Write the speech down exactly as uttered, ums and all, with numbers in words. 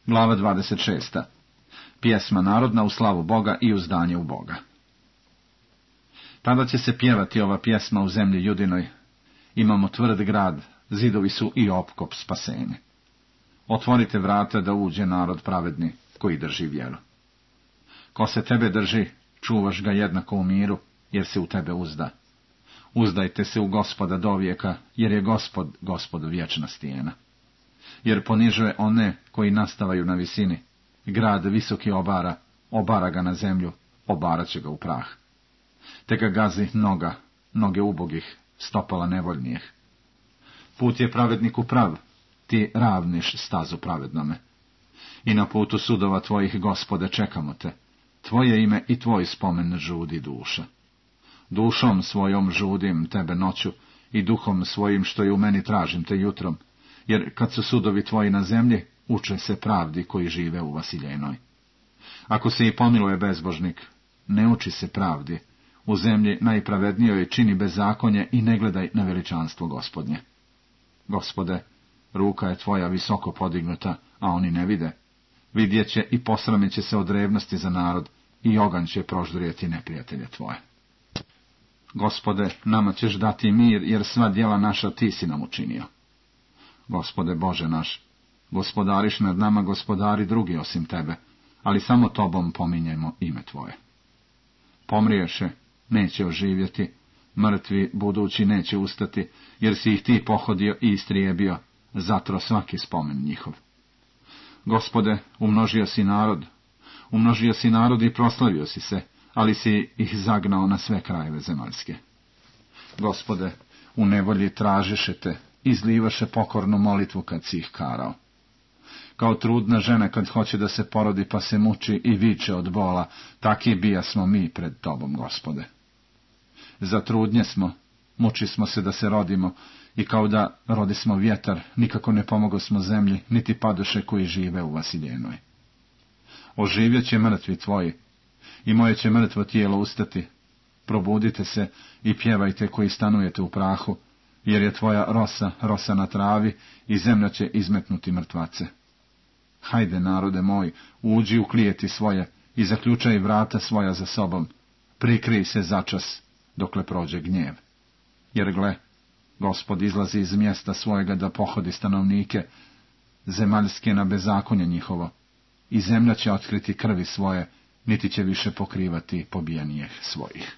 Glava dvadeset šesta. Pjesma narodna u slavu Boga i uzdanje u Boga. Tada će se pjevati ova pjesma u zemlji Judinoj. Imamo tvrd grad, zidovi su i opkop spasenje. Otvorite vrata da uđe narod pravedni, koji drži vjeru. Ko se tebe drži, čuvaš ga jednako u miru, jer se u tebe uzda. Uzdajte se u Gospoda dovijeka, jer je Gospod, Gospod vječna stijena. Jer ponižuje one koji nastavaju na visini. Grad visoki obara, obara ga na zemlju, obarat će ga u prah. Te ga gazi noga, noge ubogih, stopala nevoljnijih. Put je pravedniku prav, ti ravniš stazu pravednome. I na putu sudova tvojih, Gospode, čekamo te. Tvoje ime i tvoj spomen žudi duša. Dušom svojom žudim tebe noću i duhom svojim što je u meni tražim te jutrom, jer kad su sudovi tvoji na zemlji, uče se pravdi koji žive u Vasiljenoj. Ako se i pomiluje bezbožnik, ne uči se pravdi, u zemlji najpravednijoj čini bezakonje i ne gledaj na veličanstvo Gospodnje. Gospode, ruka je tvoja visoko podignuta, a oni ne vide. Vidjet će i posramit će se od revnosti za narod, i oganj će proždrijeti neprijatelje tvoje. Gospode, nama ćeš dati mir, jer sva djela naša ti si nam učinio. Gospode Bože naš, gospodariš nad nama gospodari drugi osim tebe, ali samo tobom pominjemo ime tvoje. Pomriješe, neće oživjeti, mrtvi budući neće ustati, jer si ih ti pohodio i istrijebio, zatro svaki spomen njihov. Gospode, umnožio si narod, umnožio si narod i proslavio si se, ali si ih zagnao na sve krajeve zemaljske. Gospode, u nevolji tražiše te, izlivaše pokornu molitvu kad si ih karao. Kao trudna žena kad hoće da se porodi pa se muči i viče od bola, taki bija smo mi pred tobom, Gospode. Za trudnje smo, muči smo se da se rodimo, i kao da rodismo vjetar, nikako ne pomogo smo zemlji, niti padoše koji žive u Vasiljenoj. Oživjet će mrtvi tvoji, i moje će mrtvo tijelo ustati. Probudite se i pjevajte koji stanujete u prahu, jer je tvoja rosa, rosa na travi, i zemlja će izmetnuti mrtvace. Hajde, narode moj, uđi u klijeti svoje i zaključaj vrata svoja za sobom. Prikrij se začas, dokle prođe gnjev. Jer gle, Gospod izlazi iz mjesta svojega da pohodi stanovnike, zemaljske na bezakonje njihovo, i zemlja će otkriti krvi svoje, niti će više pokrivati pobijenijeh svojih.